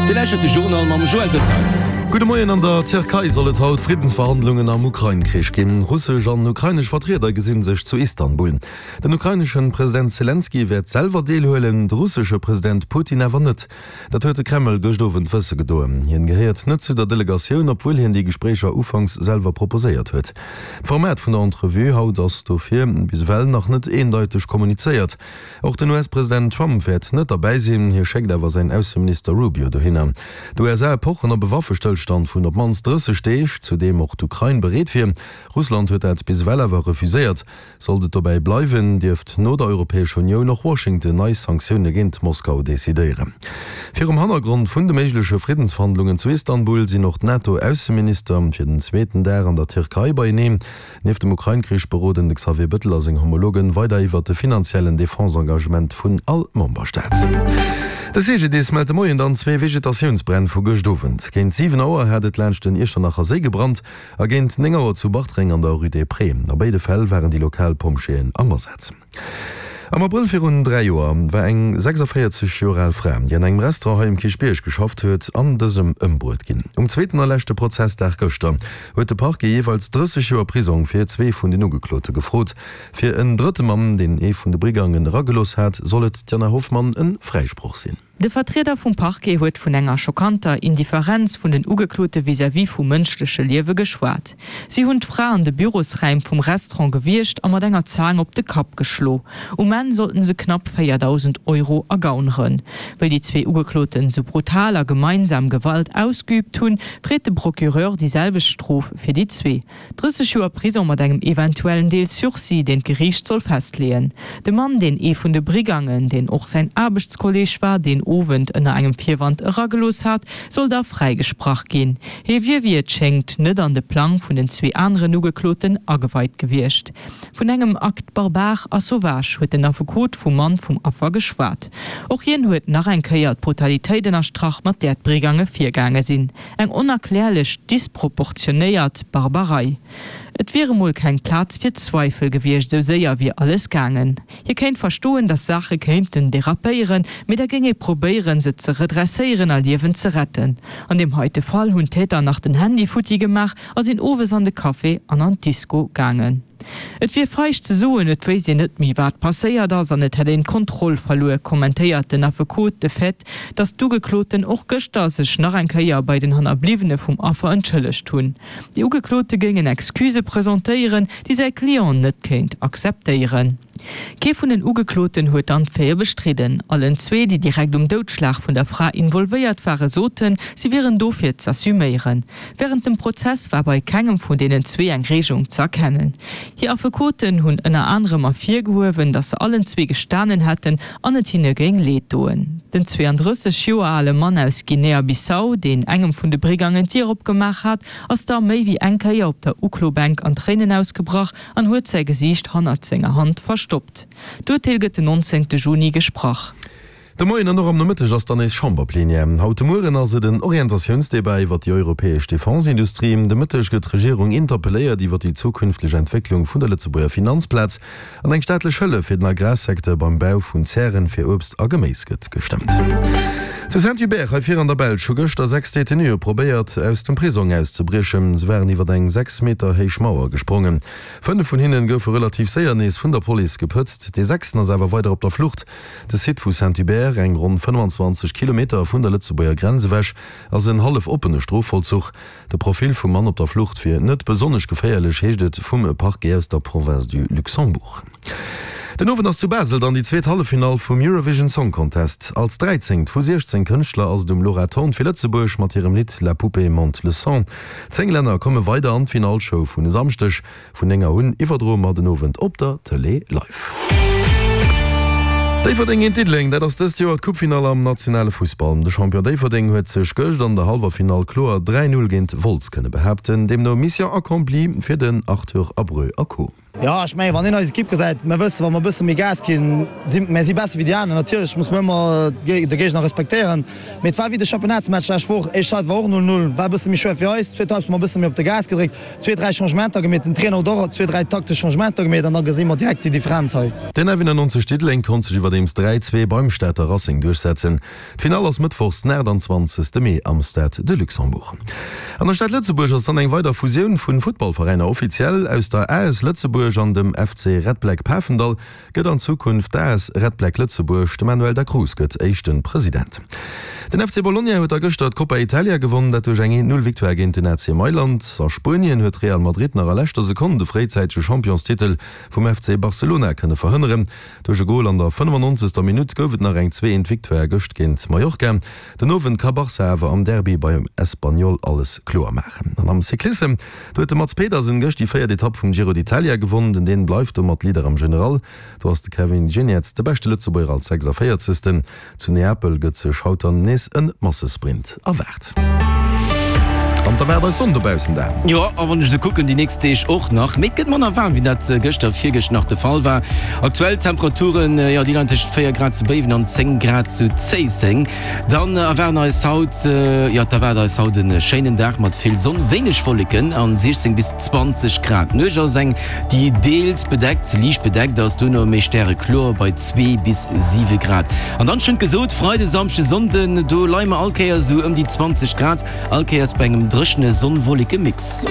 Dir lauschtert de Journal mam Joël Detail. Gudde Moien, An der Tierkei soll et haut Friddensverhandlungen am Ukrain-Krich ginn. Russesch an ukrainesch Vertrieder gesinn sech zu Istanbul. Den ukraineschen President Selenskyj wäert selwer deelhuelen, de russesche President Putin awer net. Dat huet de Kreml gëscht Owend wësse gedoen. Hien gehéiert net zu der Delegatioun, obwuel hien déi Gespréicher ufanks selwer proposéiert huet. D'Format vun der Entrevue haut ass dofir bis ewell nach net eendeiteg kommunizéiert. Och den US-President Trump wäert net derbäi sinn, hie schéckt awer säin Ausseminister Rubio dohinner. D'USA pochen op e Waffestëllstand vun op d'mannst 30 Deeg, zu deem och d'Ukrain bereet wier. Russland huet dat bis ewell awer refuséiert. Sollt et dobäi bleiwen, dierft no der Europäescher Unioun och Washington nei Sanktioune géint Moskau decidéieren. Virum Hannergrond vun de méigleche Friddensverhandlungen zu Istanbul sinn och d'NATO-Ausseminister fir den zweeten Dag an der Tierkei beieneen. Nieft dem Ukrain-Krich beroden de Xavier Bëttel a seng Homologen weider iwwert de finanziellen Defense-Engagement vun all Memberstaat. De CGDIS mellt de Moien dann zwee Vegetatiounsbränn vu gëscht Owend. Géint 7 Auer hat et laanscht den Iechternacher Séi gebrannt a géint 9 Auer zu Bartreng an der Rue des Prés. A béide Fäll waren déi lokal Pompjeeën am Asaz. Am Abrëll virun 3 Joer war eng 46 Joer al Fra, déi an engem Restaurant hei um Kierchbierg geschafft huet, an dësem ëmbruet ginn. Um zweeten a leschte Prozessdag gëschter huet de Parquet jeeweils 30 Joer Prisong fir zwee vun den Ugeklote gefrot. Fir en drëtte Mann, deen ee vun de Brigangen eragelooss hat, soll et d'Jana Hoffmann e Fräisproch sinn. De Vertrieder vum Parquet huet vun enger schockanter Indifferenz vun den Ugeklote vis-à-vis vu mënschleche Liewe geschwat. Si hunn d'Fra an de Bürosräim vum Restaurant gewiergt a mat enger Zaang op de Kapp geschlo. Um Enn sollten se knapp 4.000 Euro ergauneren. Wëll déi zwee Ugekloten sou brutal a gemeinsam Gewalt ausgeüübt hunn, freet de Procureur déi selwecht Strof fir déi zwee. 30 Joer Prisong mat engem eventuellen Deel Sursis, deen d'Geriicht soll festleeën. De Mann, deen ee vun de Brigangen, deen och säin Aarbechtskolleeg war, deen Owend ënner engem Virwand eragelooss hat, soll da fräigesprach ginn. Hie wier, wéi et schéngt, net an de Plang vun den zwee aneren Ugekloten ageweit gewiescht. Vun engem Acte barbare a sauvage huet den Affekot vum Mann vum Affer geschwat. Och hien huet nach eng Kéier d'Brutalitéit ënnerstrach, mat där d'Brigange virgaange sinn. Eng onerklärlech disproportionéiert Barbarei. Et wier emol keng Plaz fir Zweifel gewiescht, esou séier wier alles gaangen. Hie kéint verstoen, datt Saache kéinten derapéieren, mee da géing ee probéieren, se ze redresséieren a Liewen ze retten. An deem heite Fall hunn d'Täter nach den Handy futti gemaach a sinn owes an de Café an an d'Disco gaangen. Et wier feig ze soen, et wéisst een net méi wat passéiert ass an et hätt een d'Kontroll verluer, kommentéiert den Affekot de Fait, datt d'Ugekloten och gëschter sech nach eng Kéier bei den Hannerbliwwene vum Affer entschëllegt hunn. Déi Ugeklote géingen Excusë presentéieren, déi säi Client net kéint akzeptéieren. Kee vun den Ugekloten huet dann d'Faite bestridden. Allen zwee, déi direkt um Doudschlag vun der Fra involvéiert waren, soten, si wieren dofir z'assuméieren. Wärend dem Prozess war bei kengem vun deenen zwee eng Reegung ze erkennen. Hir Affekoten hunn ënner anerem ervirgehuewen, datt se allen zwee gestanen hätten an et hinne géing leed doen. Den 32 Joer ale Mann aus Guinea-Bissau, deen engem vun de Brigangen d'Dier opgemaach hat, ass da méi wéi eng Kéier op der Uklobänk an Tréinen ausgebrach an huet säi Gesiicht hannert senger Hand verstoppt. D'Urteel gëtt den 19 Juni gesprach. De Moien an och am Nomëtteg ass dann nees Chamberplenière. Haut de Mueren ass et en Orientatiounsdebat iwwer déi europäesch Defense-Industrie. De Mëtteg gëtt d'Regierung interpelléiert iwwer déi zukünfteg Entwécklung vun der Lëtzebuerger Finanzplaz an eng staatlech Hëllef fir den Agrarsecteur beim Bau vun Zären fir Uebst a Geméis gëtt gestëmmt. Zu Saint-Hubert hei vir an der Belsch hu gëschter 6 Detenuë probéiert aus dem Prisong auszebriechen. Se waren iwwer eng 6 Meter héich Mauer gesprongen. 5 vun hinnen goufe relativ séier nees vun der Police gepëtzt. Dee sechsten ass awer weider op der Flucht. De Site vu Saint-Hubert, eng ronn 25 Kilometer vun der Lëtzebuerger Grenz ewech, ass en hallef oppene Strofvollzuch. De Profil vum Mann op der Flucht wier net besonnesch geféierlech, heescht et vum Parquet aus der Province du Luxembourg. Den Owend ass zu Basel dann déi zweet Halleffinall vum Eurovision Song Contest. Als dräizéngt vu 16 Kënschtler ass et um Laura Thorn fir Lëtzebuerg mat hirem Lidd La poupée monte le son. 10 Länner komme weider an d'Finallshow vun e Samschdeg. Vun 9 Auer un iwwerdroe mer den Owend op der Tëlee live. Déifferdeng géint Diddeleng, dat ass dëst Joer d'Coupefinall am nationale Fussball. De Champion Déifferdeng huet sech gëscht an der hallwer Finall kloer 3, 0 géint Wolz kënne behaapten. Deemno Mission accomplie fir den Arthur Abreu a Co. Jo, ech mengen, wann een eis Ekipp gesäit, mir wëssen, wa mer e bësse méi Gas ginn, si mir si besser wéi déi aner. Natierlech muss mer ëmmer de Géigner respektéieren, mee et war wéi de Championnatsmatch lescht Woch, éischt Halbzeit war och 0, 0, war e bësse méi schwéier fir eis, zweet Halbzeit hu mer e bësse méi op de Gas gedréckt, zwee, dräi Changementer gemeet, den Trainer huet och zwee, dräi taktesch Changementer gemeet an da gesi mer direkt déi Differenz hei. Den F91 Diddeleng konnt sech iwwerdeems 3, 2 beim Stater Racing duerchsetzen. D'Finall ass mëttwochs den 28 Mee am Stade de Luxembourg. An der Stad Lëtzebuerg ass dann eng weider Fusioun vun Futtballveräiner offiziell. Aus der AS Lëtzebuerg an dem FC Red Black Pafendall gëtt an Zukunft d'AS Red Black Lëtzebuerg. De Manuel Da Cruz gëtt éischte President. Den FC Bologna huet da gëschter d'Coppa Italia gewonn, dat duerch eng 1, 0 Victoire géint den AC Mailand. A Spuenien huet Real Madrid nach a leschter Sekonn de fréizäitege Championstitel vum FC Barcelona kënne verhënneren. Duerch e Gol an der 95. Minutt gouf et nach eng 2, 1 Victoire gëscht géint Mallorca. Den Owend ka Barca awer am Derby beim Espanyol alles kloer maachen. An am Cyclissem, do huet de Mads Pedersen gëscht déi véiert Etapp vum Giro d'Italia gewonnen. Den Dän bleift domat Leader am General. Do ass de Kevin Geniets de beschte Lëtzebuerger als 46. Zu Neapel gëtt sech haut dann nees en Massesprint erwaart. An d'erwaart eis Sonn dobaussen Dan? Jo, a wann ech esou kucken, déi nächst Deeg och nach. Mee et gëtt manner waarm, wéi dat gëschter, virgëscht nach de Fall war. Aktuell Temperaturen, jo, déi leien tëschent 4 Grad zu Béiwen an 10 Grad zu Zéisseng. Dann erwaarden eis haut, jo, et erwaart eis haut e schéinen Dag mat vill Sonn, wéineg Wolleken an 16 bis 20 Grad. D'Nuecht ass eng, déi deels bedeckt, liicht bedeckt ass, duerno méi stärekloer bei 2 bis 7 Grad. An dann schonn gesot, Freide, Samschde, Sonnden, do leie mer all Kéiers esou ëm déi 20 Grad, all Kéiers bei engem dréchene Sonn-Wolleke-Mix.